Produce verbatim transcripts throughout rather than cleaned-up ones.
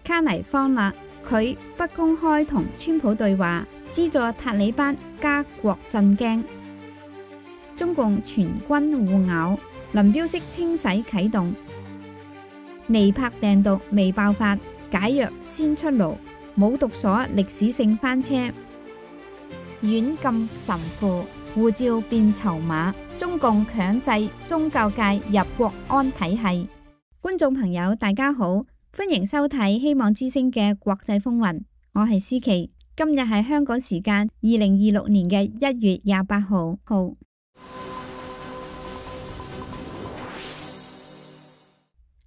卡尼方勒佢不公開同川普對話，資助塔利班加國震驚。中共全軍互咬，林彪式清洗啟動。尼柏病毒未爆發，解藥先出爐。冇毒所歷史性翻車。軟禁神父，護照變籌碼。中共強制宗教界入國安體系。觀眾朋友大家好，歡迎收睇希望之聲嘅國際風雲，我係思琪。今日係香港時間二零二六年嘅一月廿八號。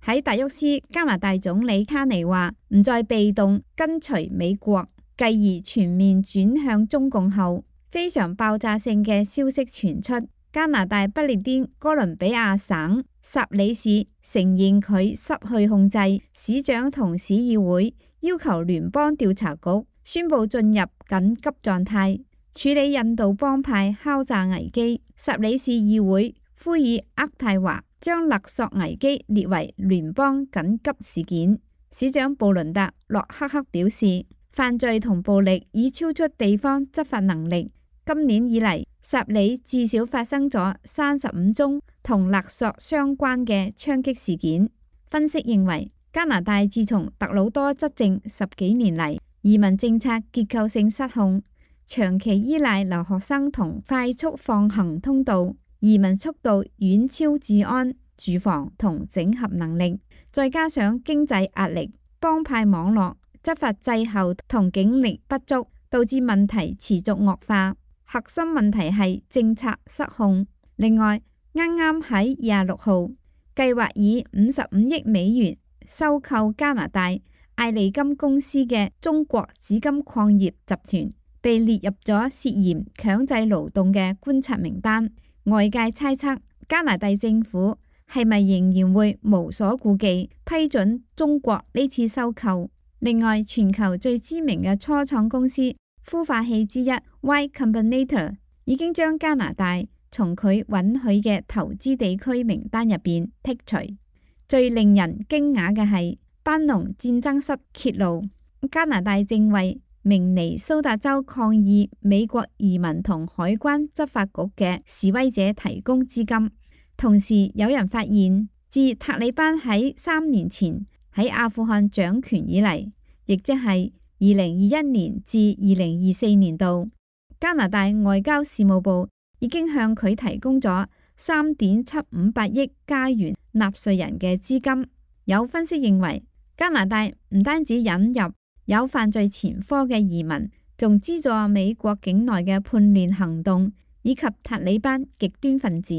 喺達沃斯，加拿大總理卡尼話唔再被動跟隨美國，繼而全面轉向中共後，非常爆炸性嘅消息傳出。加拿大不列顛哥倫比亞省薩里市承認佢失去控制，市長同市議會要求聯邦調查局宣布進入緊急狀態，處理印度幫派敲詐危機。薩里市議會呼籲渥太華將勒索危機列為聯邦緊急事件。市長布倫特洛克克表示，犯罪同暴力已超出地方執法能力。今年以嚟，薩里至少發生咗三十五宗同勒索相關嘅槍擊事件。分析認為，加拿大自從特魯多執政十幾年嚟，移民政策結構性失控，長期依賴留學生同快速放行通道，移民速度遠超治安、住房同整合能力，再加上經濟壓力、幫派網絡、執法滯後同警力不足，導致問題持續惡化。核心問題係政策失控。另外，啱啱喺廿六號計劃以五十五億美元收購加拿大艾利金公司嘅中國紫金礦業集團被列入咗涉嫌強制勞動嘅觀察名單。外界猜測加拿大政府係咪仍然會無所顧忌批准中國呢次收購？另外，全球最知名嘅初創公司孵化器之一 Y Combinator 已經將加拿大從佢允許嘅投資地區名單入邊剔除。最令人驚訝嘅係班農戰爭室揭露，加拿大正為明尼蘇達州抗議美國移民同海關執法局嘅示威者提供資金。同時有人發現，自塔利班喺三年前喺阿富汗掌權以嚟，亦即係二零二一年至二零二四年度，加拿大外交事務部已經向佢提供咗三點七五八億加元納稅人嘅資金。有分析認為，加拿大唔單止引入有犯罪前科嘅移民，仲資助美國境內嘅叛亂行動以及塔利班極端分子，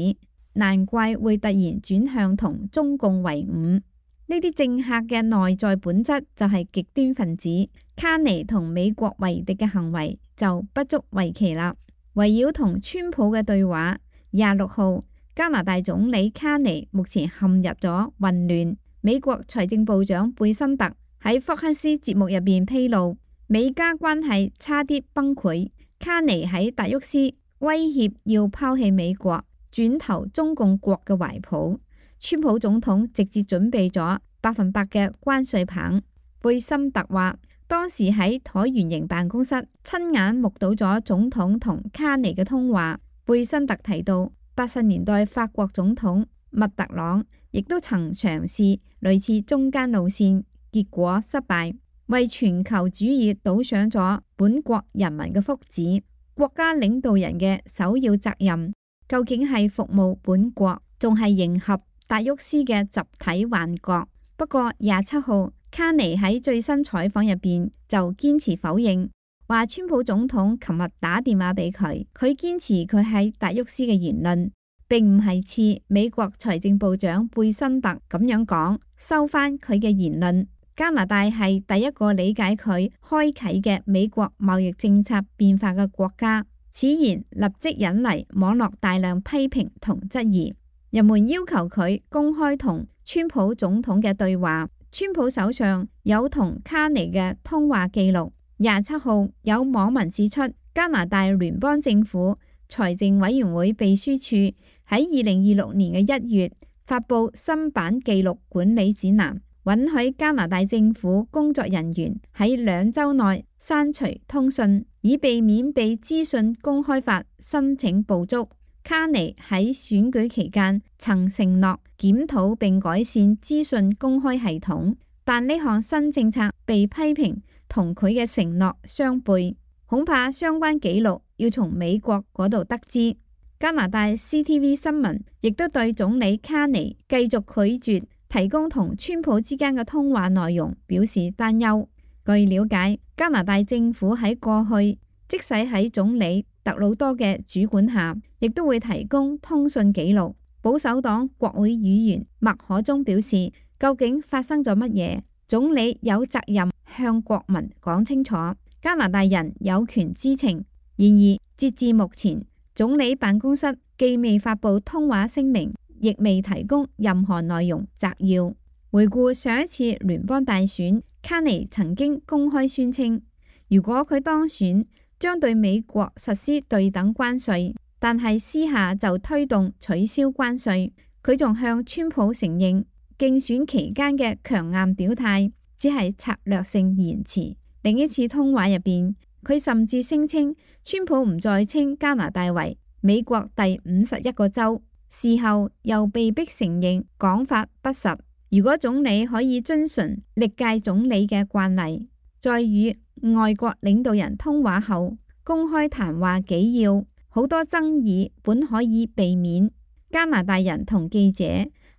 難怪會突然轉向同中共為伍。呢啲政客嘅內在本質就係極端分子，卡尼同美國為敵嘅行為就不足為奇啦。圍繞同川普嘅對話，廿六號加拿大總理卡尼目前陷入咗混亂。美國財政部長貝辛特喺福克斯節目入邊披露，美加關係差啲崩潰。卡尼喺達沃斯威脅要拋棄美國，轉投中共國嘅懷抱。川普總統直接準備咗百分百嘅關稅棒。貝森特話，當時喺橢圓形辦公室親眼目睹咗總統同卡尼嘅通話。貝森特提到，八十年代法國總統密特朗亦都曾嘗試類似中間路線，結果失敗，為全球主義賭上咗本國人民嘅福祉。國家領導人嘅首要責任究竟係服務本國，仲係迎合達沃斯嘅集體幻覺？不過廿七號卡尼喺最新採訪入邊就堅持否認，話川普總統琴日打電話俾佢，佢堅持佢喺達沃斯嘅言論，並唔係似美國財政部長貝辛特咁樣講，收翻佢嘅言論。加拿大係第一個理解佢開啟嘅美國貿易政策變化嘅國家。此言立即引嚟網絡大量批評同質疑。人們要求佢公開同川普總統嘅對話。川普手上有同卡尼嘅通話記錄。廿七號有網民指出，加拿大聯邦政府財政委員會秘書處喺二零二六年嘅一月發布新版記錄管理指南，允許加拿大政府工作人員喺兩週內刪除通訊，以避免被資訊公開法申請捕捉。卡尼喺選舉期間曾承諾檢討並改善資訊公開系統，但呢項新政策被批評同佢嘅承諾相悖，恐怕相關記錄要從美國嗰度得知。加拿大 C T V 新聞亦都對總理卡尼繼續拒絕提供同川普之間嘅通話內容表示擔憂。據了解，加拿大政府喺過去，即使喺總理特魯多嘅主管下，亦都會提供通訊記錄。保守黨國會議員麥可中表示，究竟發生咗乜嘢？總理有責任向國民講清楚，加拿大人有權知情。然而，截至目前，總理辦公室既未發布通話聲明，亦未提供任何內容摘要。回顧上一次聯邦大選，卡尼曾經公開宣稱，如果佢當選，將對美國實施對等關稅，但係私下就推動取消關稅。佢仲向川普承認，競選期間嘅強硬表態只係策略性言辭。另一次通話入邊，佢甚至聲稱川普唔再稱加拿大為美國第五十一個州，事後又被迫承認講法不實。如果總理可以遵循歷屆總理嘅慣例，在與外國領導人通話後公開談話紀要，好多爭議本可以避免。加拿大人同記者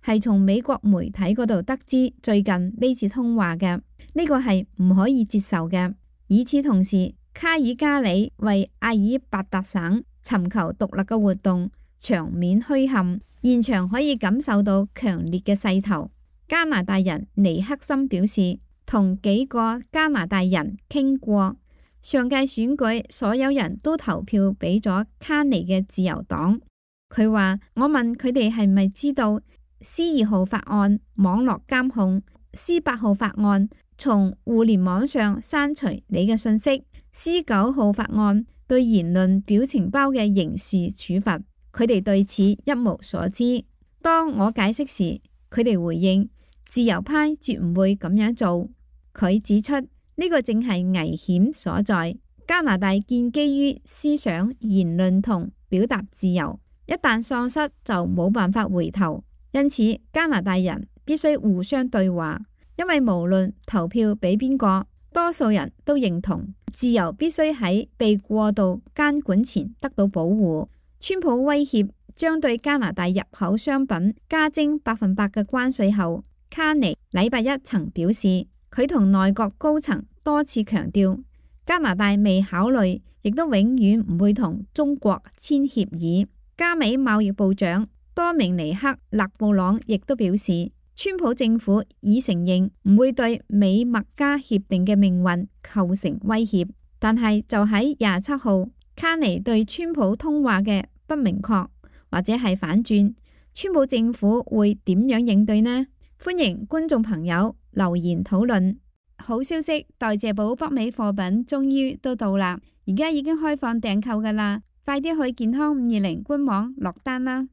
係從美國媒體嗰度得知最近呢次通話嘅，呢個係唔可以接受嘅。與此同時，卡爾加里為阿爾伯達省尋求獨立嘅活動場面虛撼，現場可以感受到強烈嘅勢頭。加拿大人尼克森表示，同幾個加拿大人傾過，上屆選舉所有人都投票俾咗卡尼嘅自由黨。佢話：我問佢哋係咪知道 C 二號法案網絡監控、C 八號法案從互聯網上刪除你嘅信息、C 九號法案對言論表情包嘅刑事處罰，佢哋對此一無所知。當我解釋時，佢哋回應：自由派絕唔會咁樣做。佢指出呢個正係危險所在。加拿大建基於思想、言論同表達自由，一旦喪失就冇辦法回頭。因此，加拿大人必須互相對話，因為無論投票俾邊個，多數人都認同自由必須喺被過度監管前得到保護。川普威脅將對加拿大入口商品加徵百分百嘅關稅後，卡尼禮拜一曾表示，佢同內閣高層多次強調，加拿大未考慮，亦都永遠唔會同中國簽協議。加美貿易部長多明尼克勒布朗亦都表示，川普政府已承認唔會對美墨加協定嘅命運構成威脅。但係就喺廿七號，卡尼對川普通話嘅不明確或者係反轉，川普政府會點樣應對呢？歡迎觀眾朋友留言討論。好消息，代謝寶北美貨品終於都到啦，而家已經開放訂購噶啦，快啲去健康五二零官網落單啦！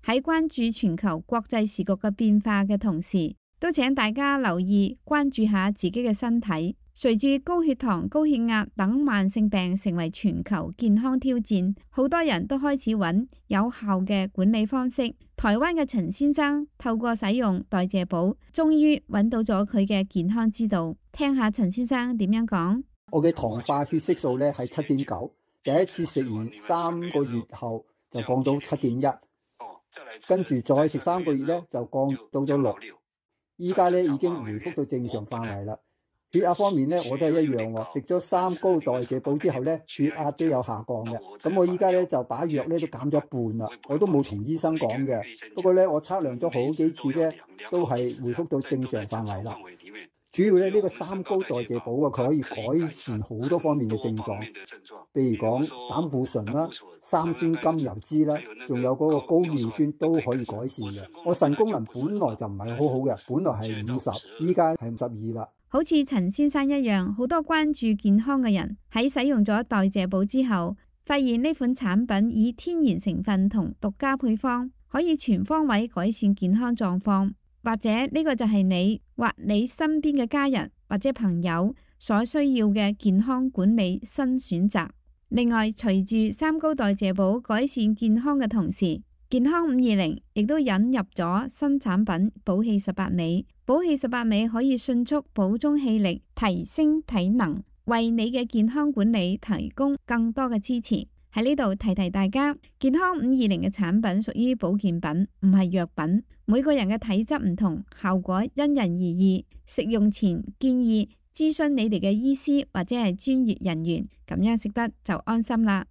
喺關注全球國際時局嘅變化嘅同時，都請大家留意關注下自己嘅身體。隨住高血糖、高血壓等慢性病成為全球健康挑戰，好多人都開始揾有效嘅管理方式。台灣嘅陳先生透過使用代謝寶，終於揾到咗佢嘅健康之道。聽下陳先生點樣講。我嘅糖化血色素咧係七點九，第一次食完三個月後就降到七點一，跟住再食三個月咧就降到咗六，依家咧已經回復到正常範圍啦。血壓方面咧，我都係一樣喎。食咗三高代謝寶之後咧，血壓都有下降嘅。咁我依家咧就把藥咧都減咗一半啦。我都冇同醫生講嘅，不過咧我測量咗好幾次咧，都係回復到正常範圍啦。主要咧呢個三高代謝寶啊，佢可以改善好多方面嘅症狀，譬如講膽固醇啦、三酸甘油脂啦，仲有嗰個高尿酸都可以改善嘅。我腎功能本來就唔係好好嘅，本來係五十，依家係五十二啦。好似陳先生一樣，好多關注健康嘅人喺使用咗代謝寶之後，發現呢款產品以天然成分同獨家配方，可以全方位改善健康狀況。或者呢個就係你或你身邊嘅家人或者朋友所需要嘅健康管理新選擇。另外，隨住三高代謝寶改善健康嘅同時，健康五二零亦都引入咗新產品寶氣十八味。寶氣十八味可以迅速補充氣力，提升體能，為你嘅健康管理提供更多嘅支持。喺呢度提提大家，健康五二零嘅產品屬於保健品，唔係藥品。每個人嘅體質唔同，效果因人而異。食用前建議諮詢你哋嘅醫師或者係專業人員，咁樣食得就安心啦。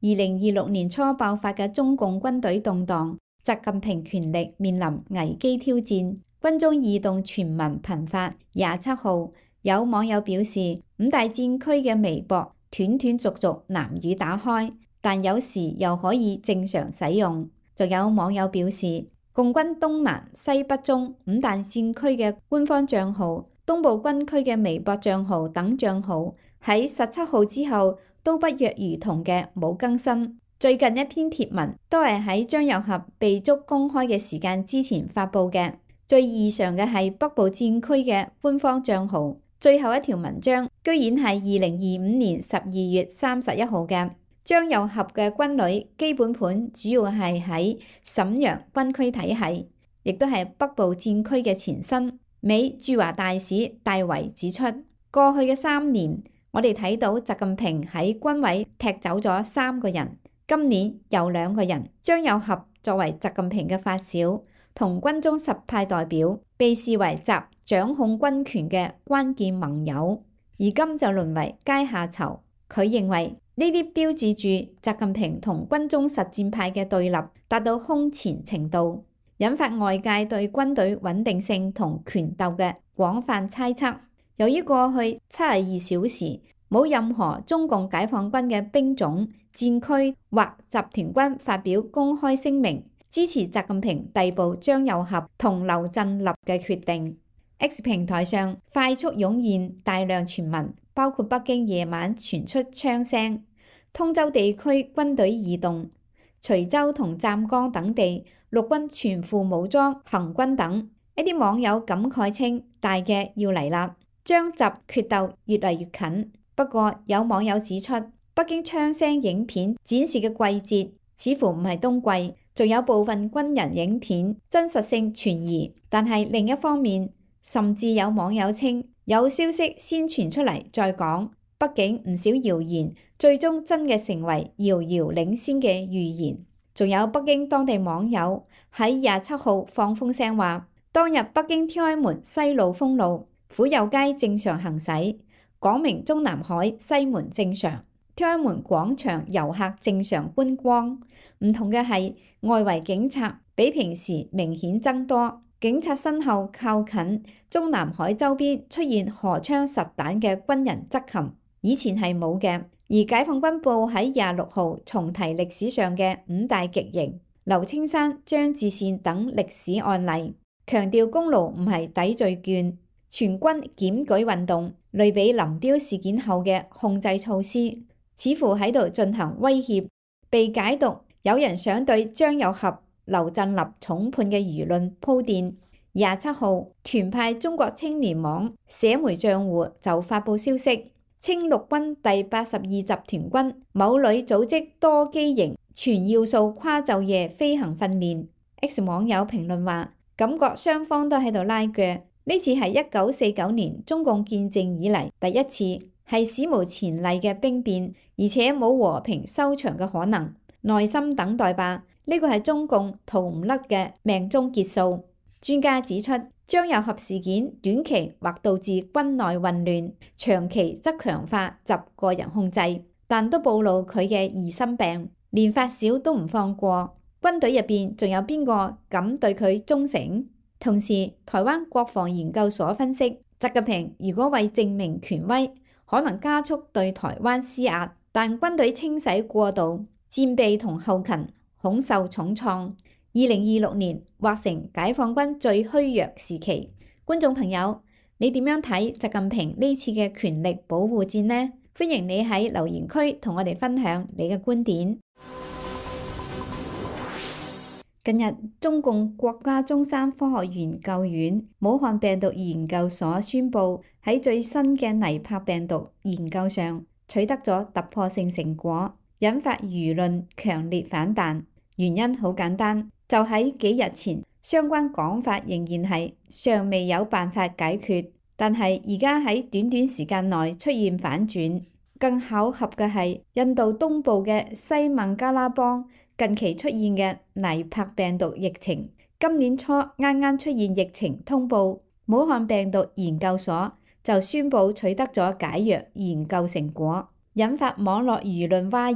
二零二六年初爆發嘅中共軍隊動盪，習近平權力面臨危機挑戰，軍中異動傳聞頻發。廿七號有網友表示，五大戰區嘅微博斷斷續續難以打開，但有時又可以正常使用。仲有網友表示，共軍東南西北中五大戰區嘅官方帳號、東部軍區嘅微博帳號等帳號喺十七號之後都不約而同嘅冇更新。最近一篇貼文都係喺張又俠被捉公開嘅時間之前發布嘅。最異常嘅係北部戰區嘅官方帳號，最後一條文章居然係二零二五年十二月三十一號嘅。張又俠嘅軍旅基本盤主要係喺瀋陽軍區體系，亦都係北部戰區嘅前身。美駐華大使戴維指出，過去嘅三年，我哋睇到習近平喺軍委踢走咗三個人，今年又兩個人。張又俠作為習近平嘅發小，同軍中實派代表，被視為習掌控軍權嘅關鍵盟友，而今就淪為階下囚。佢認為呢啲標誌住習近平同軍中實戰派嘅對立達到空前程度，引發外界對軍隊穩定性同權鬥嘅廣泛猜測。由於過去七十二小時冇任何中共解放軍嘅兵種、戰區或集團軍發表公開聲明支持習近平逮捕張又俠同劉振立嘅決定， X 平台上快速湧現大量傳聞，包括北京夜晚傳出槍聲、通州地區軍隊異動、徐州同湛江等地陸軍全副武裝行軍等。一啲網友感慨稱，大嘅要嚟啦，張習決鬥越嚟越近。不過有網友指出，北京槍聲影片展示嘅季節似乎唔係冬季，仲有部分軍人影片真實性存疑。但係另一方面，甚至有網友稱有消息先傳出嚟再講，畢竟唔少謠言最終真嘅成為遙遙領先嘅預言。仲有北京當地網友喺廿七號放風聲話，當日北京天安門西路封路，府右街正常行駛，廣明中南海西門正常，天安門廣場遊客正常觀光。唔同嘅係外圍警察比平時明顯增多，警察身後靠近中南海周邊出現荷槍實彈嘅軍人執勤，以前係冇嘅。而解放軍報喺廿六號重提歷史上嘅五大極刑、劉青山、張志善等歷史案例，強調功勞唔係抵罪券，全軍檢舉運動類比林彪事件後嘅控制措施，似乎喺度進行威脅，被解讀有人想對張又俠、劉振立重判嘅輿論鋪墊。廿七號，團派中國青年網社媒賬戶就發布消息，稱陸軍第八十二集團軍某旅組織多機型全要素跨晝夜飛行訓練。X 網友評論話，感覺雙方都喺度拉鋸，呢次係一九四九年中共建政以嚟第一次，係史無前例嘅兵變，而且冇和平收場嘅可能，耐心等待吧。呢個係中共逃唔甩嘅命中結束。專家指出，張又俠事件短期或導致軍內混亂，長期則強化習個人控制，但都暴露佢嘅疑心病，連發小都唔放過。軍隊入邊仲有邊個敢對佢忠誠？同時，台灣國防研究所分析，習近平如果為證明權威，可能加速對台灣施壓，但軍隊清洗過度，戰備同後勤恐受重創。二零二六年或成解放軍最虛弱時期。觀眾朋友，你點樣睇習近平呢次嘅權力保護戰呢？歡迎你喺留言區同我哋分享你嘅觀點。近日，中共國家中山科學研究院武漢病毒研究所宣布喺最新嘅尼帕病毒研究上取得咗突破性成果，引發輿論強烈反彈。原因好簡單，就喺幾日前，相關講法仍然係尚未有辦法解決，但係而家喺短短時間內出現反轉。更巧合嘅係，印度東部嘅西孟加拉邦近期出現嘅尼帕病毒疫情，今年初啱啱出現疫情通報，武漢病毒研究所就宣布取得咗解藥研究成果，引發網絡輿論譁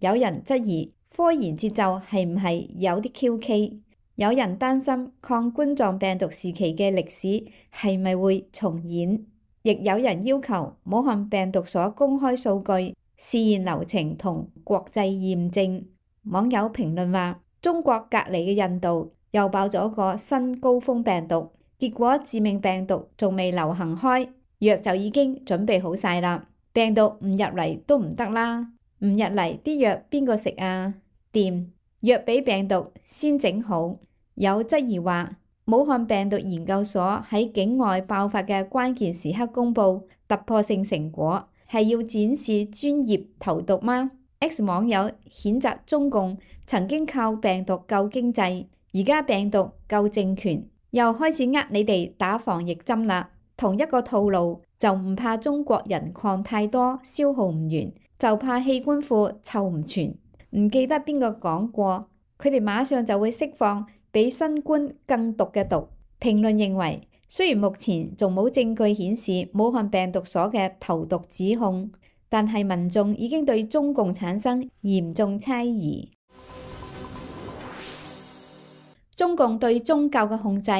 然。有人質疑科研節奏係唔係有啲蹊蹺，有人擔心抗冠狀病毒時期嘅歷史係咪會重演，亦有人要求武漢病毒所公開數據、試驗流程同國際驗證。網友評論話：中國隔離嘅印度又爆咗個新高峰病毒，結果致命病毒仲未流行開，藥就已經準備好晒啦。病毒唔入嚟都唔得啦，唔入嚟啲藥邊個食啊？掂，藥比病毒先整好。有質疑話，武漢病毒研究所喺境外爆發嘅關鍵時刻公布突破性成果，係要展示專業投毒嗎？X 網友譴責中共曾經靠病毒救經濟，而家病毒救政權，又開始呃你哋打防疫針啦。同一個套路，就唔怕中國人抗太多，消耗唔完，就怕器官庫湊唔全。唔記得邊個講過，佢哋馬上就會釋放比新冠更毒嘅毒。評論認為，雖然目前仲冇證據顯示武漢病毒所嘅投毒指控，但係民眾已經對中共產生嚴重猜疑。中共對宗教嘅控制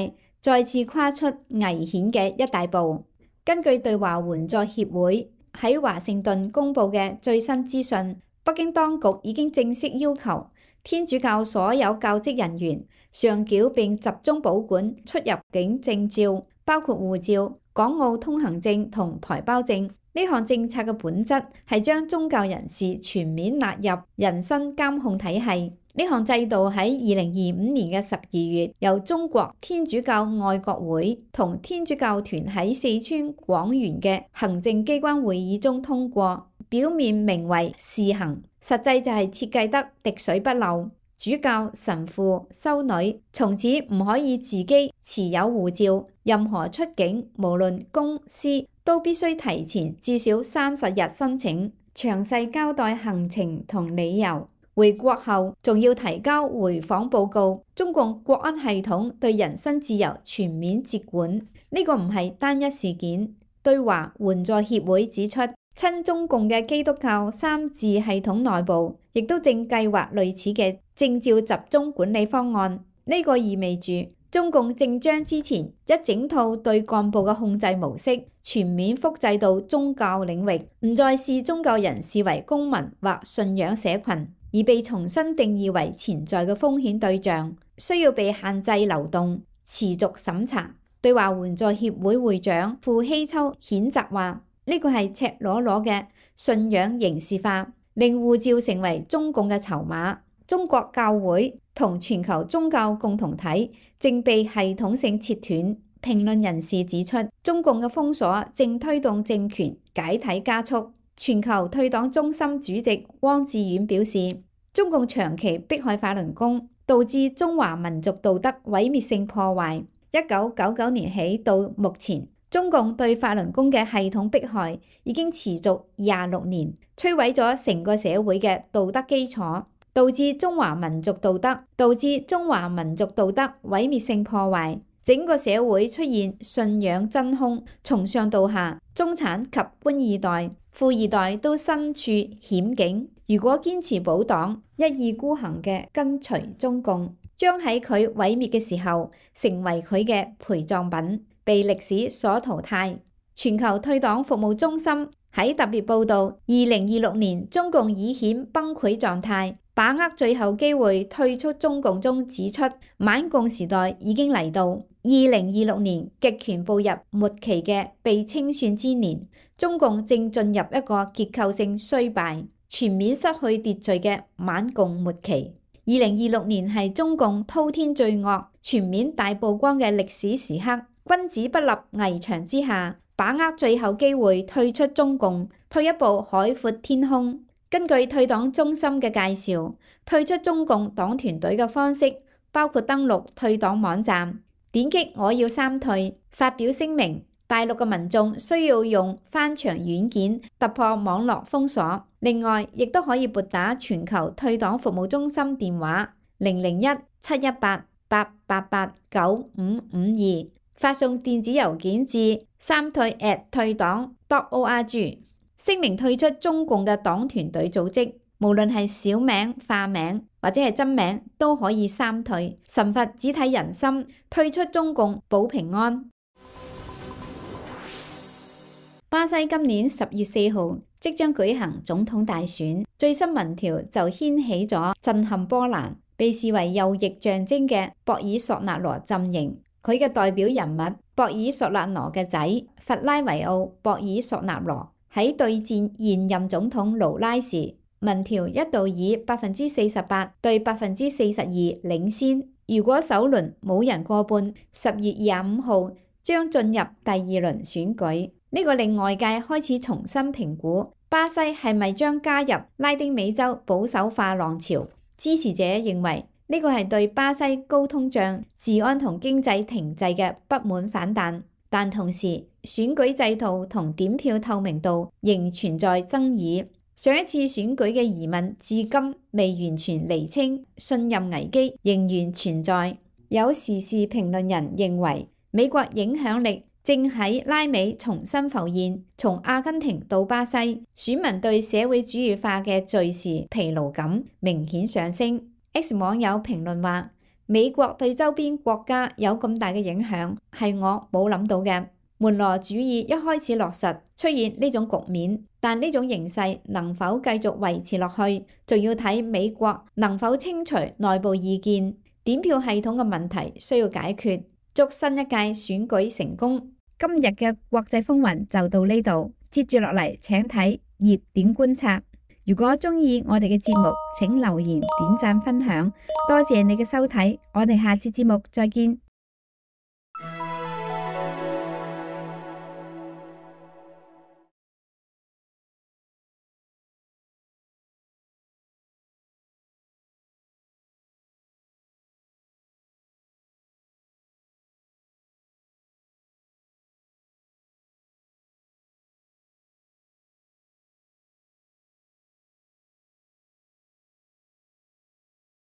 再次跨出危險嘅一大步。根據對華援助協會喺華盛頓公佈嘅最新資訊，北京當局已經正式要求天主教所有教職人員上繳並集中保管出入境證照，包括護照、港澳通行證同台胞證。呢項政策嘅本質係將宗教人士全面納入人身監控體系。呢項制度喺二零二五年嘅十二月，由中國天主教愛國會同天主教團喺四川廣元嘅行政機關會議中通過，表面名為試行，實際就係設計得滴水不漏。主教、神父、修女從此唔可以自己持有護照，任何出境，無論公私，都必須提前至少三十日申請，詳細交代行程同理由。回國後仲要提交回訪報告。中共國安系統對人身自由全面接管，呢個唔係單一事件。對華援助協會指出，親中共嘅基督教三自系統內部亦都正計劃類似嘅證照集中管理方案。呢個意味住中共正將之前一整套對幹部嘅控制模式全面複製到宗教領域，唔再視宗教人視為公民或信仰社群，而被重新定義為潛在嘅風險對象，需要被限制流動、持續審查。對華援助協會會長傅希秋譴責話：呢個係赤裸裸嘅信仰刑事化，令護照成為中共嘅籌碼。中國教會同全球宗教共同體正被系統性切斷。評論人士指出，中共嘅封鎖正推動政權解體加速。全球退黨中心主席汪志遠表示，中共長期迫害法輪功，導致中華民族道德毀滅性破壞。一九九九年起到目前，中共對法輪功嘅系統迫害已經持續廿六年，摧毀咗成個社會嘅道德基礎，導致中華民族道德導致中華民族道德毀滅性破壞。整個社會出現信仰真空，從上到下，中產及官二代、富二代都身處險境。如果堅持保黨，一意孤行嘅跟隨中共，將喺佢毀滅嘅時候成為佢嘅陪葬品，被歷史所淘汰。全球退黨服務中心喺特別報導，二零二六年中共已顯崩潰狀態，把握最後機會退出中共中指出，晚共時代已經嚟到。二零二六年極權步入末期嘅被清算之年，中共正進入一個結構性衰敗、全面失去秩序嘅晚共末期。二零二六年係中共滔天罪惡全面大曝光嘅歷史時刻，君子不立危牆之下，把握最後機會退出中共，退一步海闊天空。根據退黨中心嘅介紹，退出中共黨團隊嘅方式包括登錄退黨網站，點擊我要三退，發表聲明。大陸嘅民眾需要用翻牆軟件突破網絡封鎖，另外亦都可以撥打全球退黨服務中心電話零零一七一八八八八九五五二，發送電子郵件至三退 at 退黨 dot org， 聲明退出中共嘅黨團隊組織，無論係小名、化名或者係真名都可以三退。神佛只睇人心，退出中共保平安。巴西今年十月四號即將舉行總統大選，最新民調就掀起咗震撼波瀾。被視為右翼象徵嘅博爾索納羅陣營，佢嘅代表人物博爾索納羅嘅仔弗拉維奧博爾索納羅喺對戰現任總統盧拉時，民調一度以百分之四十八對百分之四十二領先。如果首輪冇人過半，十月廿五號將進入第二輪選舉。呢個令外界開始重新評估巴西係咪將加入拉丁美洲保守化浪潮。支持者認為呢個係對巴西高通脹、治安同經濟停滯嘅不滿反彈，但同時選舉制度同點票透明度仍存在爭議。上一次選舉嘅疑問至今未完全釐清，信任危機仍然存在。有時事評論人認為美國影響力正喺拉美重新浮現，從阿根廷到巴西，選民對社會主義化嘅敘事疲勞感明顯上升。X 網友評論話：美國對周邊國家有咁大嘅影響，係我冇諗到嘅。門羅主義一開始落實，出現呢種局面，但呢種形勢能否繼續維持落去，仲要睇美國能否清除內部意見。點票系統嘅問題需要解決。祝新一屆選舉成功。今日嘅國際風雲就到呢度，接住落嚟請睇熱點觀察。如果鍾意我哋嘅節目，請留言、點讚、分享，多謝你嘅收睇，我哋下次節目再見。